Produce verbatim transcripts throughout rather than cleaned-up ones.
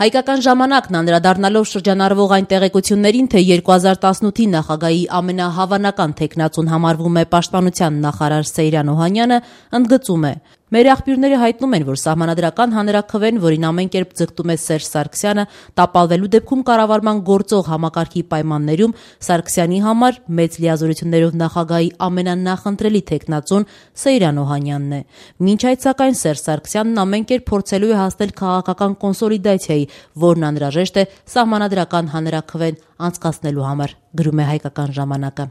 Հայկական ժամանակն անդրադառնալով շրջանառվող այն տեղեկություններին, թե երկու հազար տասնութի նախագահի ամենահավանական թեկնածուն համարվում է Պաշտպանության նախարար Սեյրան Օհանյանը, ընդգծում է. «Մեր աղբյուրները հայտնում են, որ Սահմանադրական հանրաքվեն, որին ամեն կերպ ձգտում է Սերժ Սարգսյանը, տապալվելու դեպքում կառավարման գործող համակարգի պայմաններում Սարգսյանի համար մեծ լիազորություններով նախագահի ամենանախընտրելի թեկնածուն Սեյրան Օհանյանն է։ Մինչ այդ, սակայն, Սերժ Սարգսյանն ամեն կերպ փորձելու է հասնել քաղաքական կոնսոլիդացիայի, որն անհրաժեշտ է Սահմանադրական հանրաքվեն անցկացնելու համար», գրում է Հայկական ժամանակը։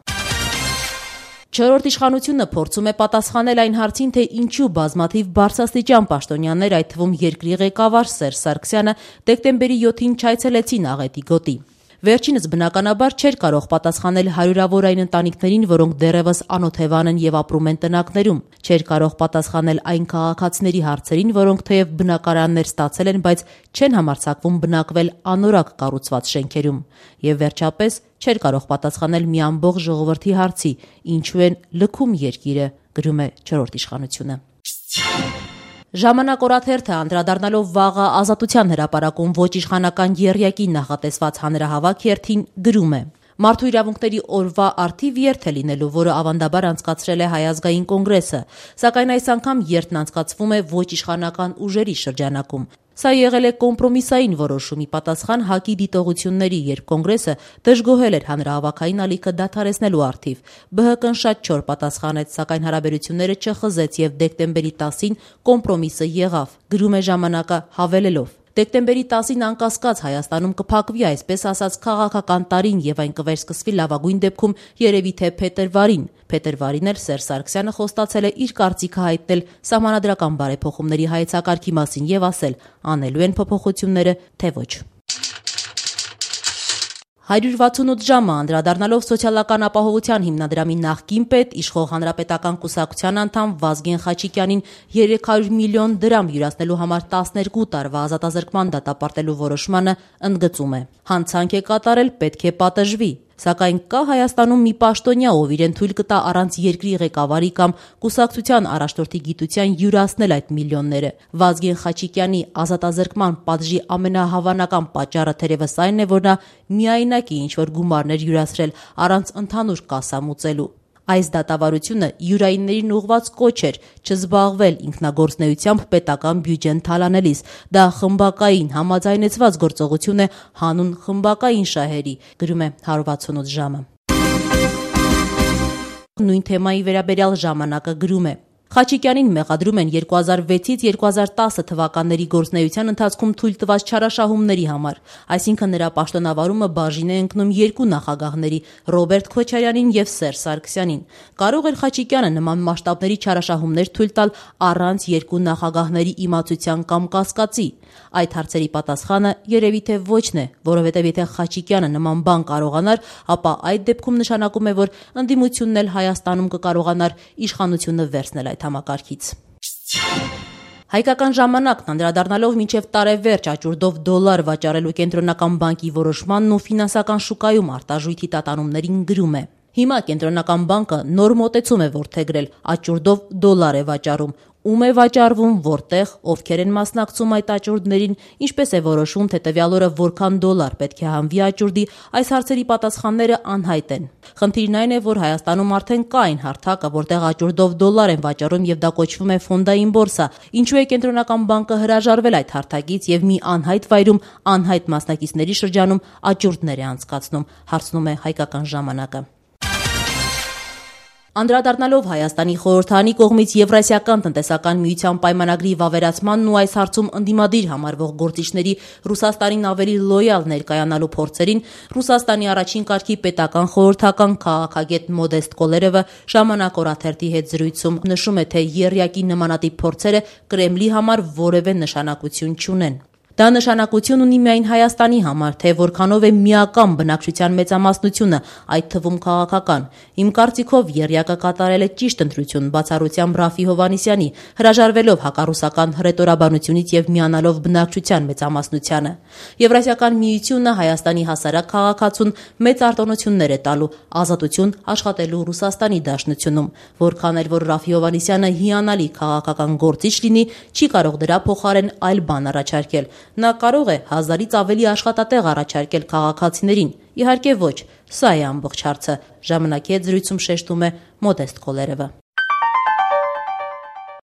Չորրորդ իշխանությունը փորձում է պատասխանել այն հարցին, թե ինչու բազմաթիվ բարձրաստիճան պաշտոնյաներ, այդ թվում երկրի ղեկավար Սերժ Սարգսյանը, դեկտեմբերի յոթին չայցելեցին Աղետի գոտի։ Վերջինս բնականաբար չէր կարող պատասխանել հարյուրավոր այն ընտանիքներին, որոնք դեռևս անօթևան են եւ ապրում են տնակներում, չէր կարող պատասխանել այն քաղաքացիների հարցերին, որոնք թեև բնակարաններ ստացել են, բայց չեն համարձակվում բնակվել անորակ կառուցված շենքերում, եւ վերջապես չէր կարող պատասխանել մի ամբողջ ժողովրդի հարցի, ինչու են լքում երկիրը, գրում է չորրորդ իշխանությունը։ Ժամանակ օրաթերթը անդրադառնալով վաղը Ազատության հրապարակում ոչ իշխանական եռյակի նախատեսված հանրահավաք երթին գրում է. «Մարդու իրավունքների օրվա առթիվ երթ է լինելու, որը ավանդաբար անցկացրել է Հայ ազգային կոնգրեսը, սակայն այս անգամ երթն անցկացվում է ոչ իշխանական ուժերի շրջանակում։ Սա եղել է կոմպրոմիսային որոշումի պատասխան ՀԱԿ-ի դիտողությունների, երբ կոնգրեսը դժգոհել էր հանրահավաքային ալիքը դադարեցնելու առթիվ։ ԲՀԿ-ն շատ չոր պատասխանեց, սակայն հարաբերությունները չխզեց եւ դեկտեմբերի տասին կոմպրոմիսը եղավ», գրում է ժամանակը հավելելով. «Դեկտեմբերի տասին անկասկած Հայաստանում կփակվի, այսպես ասած, քաղաքական տարին եւ այն կվերսկսվի լավագույն դեպքում երևի թե փետրվարին։ Փետրվարին էլ Սերժ Սարգսյանը խոստացել է իր կարծիքը հայտնել սահմանադրական բարեփոխումների հայեցակարգի մասին եւ ասել՝ անելու են փոփոխությունները, թե ոչ»։ հարյուր վաթսունութ ժամը անդրադառնալով Սոցիալական ապահովության հիմնադրամի նախկին պետ, իշխող Հանրապետական կուսակցության անդամ Վազգեն Խաչիկյանին երեք հարյուր միլիոն դրամ յուրացնելու համար տասներկու տարվա ազատազրկման դատապարտելու որոշմանը ընդգծում է. «Հանցանք է կատարել, պետք է պատժվի։ Սակայն կա Հայաստանում մի պաշտոնյա, ով իրեն թույլ կտա առանց երկրի ղեկավարի կամ կուսակցության առաջնորդի գիտության յուրացնել այդ միլիոնները։ Վազգեն Խաչիկյանի ազատազրկման պատժի ամենահավանական պատճառը թերևս այն է, որ նա միայնակ է ինչ-որ գումարներ յուրացրել առանց ընդհանուր կասա մուծելու։ Այս դատավարությունը յուրայիններին ուղղված կոչ էր չզբաղվել ինքնագործունեությամբ պետական բյուջեն թալանելիս։ Դա խմբակային համաձայնեցված գործողություն է հանուն խմբակային շահերի», գրում է հարյուր վաթսունութ ժամը։ Նույն թեմայի վերաբերյալ ժամանակը գրում է. «Խաչիկյանին մեղադրում են երկու հազար վեցից երկու հազար տասը թվականների գործունեության ընթացքում թույլ տված չարաշահումների համար, այսինքն նրա պաշտոնավարումը բաժին է ընկնում երկու նախագահների՝ Ռոբերտ Քոչարյանին եւ Սերժ Սարգսյանին։ Կարող էր Խաչիկյանը նման մասշտաբների չարաշահումներ թույլ տալ առանց երկու նախագահների իմացության կամ կասկածի։ Այդ հարցերի պատասխանը երևի թե ոչն է, որովհետեւ եթե Խաչիկյանը նման բան կարողանար, ապա այդ դեպքում նշանակում է, որ ընդդիմությունն էլ Հայաստանում կկարողանար իշխանությունը վերցնել այդ համակարգից»։ Հայկական ժամանակն անդրադառնալով մինչև տարեվերջ աճուրդով դոլար վաճառելու կենտրոնական բանկի որոշմանն ու ֆինանսական շուկայում արտարժույթի տատանումներին գրում է. «Հիմա կենտրոնական բանկը նոր մոտեցում է որդեգրել, աճուրդով դոլար է վաճառում։ Ում է վաճառվում, որտեղ, ովքեր են մասնակցում այդ աճուրդներին, ինչպես է որոշում, թե տվյալ օրը որքան դոլար պետք է հանվի աճուրդի, այս հարցերի պատասխանները անհայտ են։ Խնդիրն այն է, որ Հայաստանում արդեն կա այն հարթակը, որտեղ աճուրդով դոլար են վաճառում եւ դա կոչվում է ֆոնդային բորսա։ Ինչու է կենտրոնական բանկը հրաժարվել այդ հարթակից եւ մի անհայտ վայրում անհայտ մասնակիցների շրջանում աճուրդներ է անցկացնում», հարցնում է Հայկական ժամանակը։ Անդրադառնալով Հայաստանի խորհրդարանի կողմից Եվրասիական տնտեսական միության պայմանագրի վավերացմանն ու այս հարցում ընդդիմադիր համարվող գործիչների Ռուսաստանին ավելի լոյալ ներկայանալու փորձերին, Ռուսաստանի առաջին կարգի պետական խորհրդական քաղաքագետ Մոդեստ Կոլերովը ժամանակ օրաթերթի հետ զրույցում նշում է, թե եռյակի նմանատիպ փորձերը Կրեմլի համար որևէ նշանակություն չունեն։ Դա նշանակություն ունի միայն Հայաստանի համար, թե որքանով է միական բնակչության մեծամասնությունը, այդ թվում քաղաքական։ Իմ կարծիքով եռյակը կատարել է ճիշտ ընտրություն, բացառությամբ Ռաֆի Հովհաննիսյանի, հրաժարվելով հակառուսական հռետորաբանությունից եւ միանալով բնակչության մեծամասնությանը։ Եվրասիական միությունը Հայաստանի հասարակ քաղաքացուն մեծ արտոնություններ է տալու, ազատություն աշխատելու Ռուսաստանի դաշնությունում, որքան էլ որ Ռաֆի Հովհաննիսյանը հիանալի քաղաքական գործիչ լինի, չի կարող դրա փոխարեն այլ բան առաջարկել։ Նա կարող է հազարից ավելի աշխատատեղ առաջարկել քաղաքացիներին։ Իհարկե ոչ, սա է ամբողջ հարցը, ժամանակի հետ զրույցում շեշտում է Մոդեստ Քոլերևը։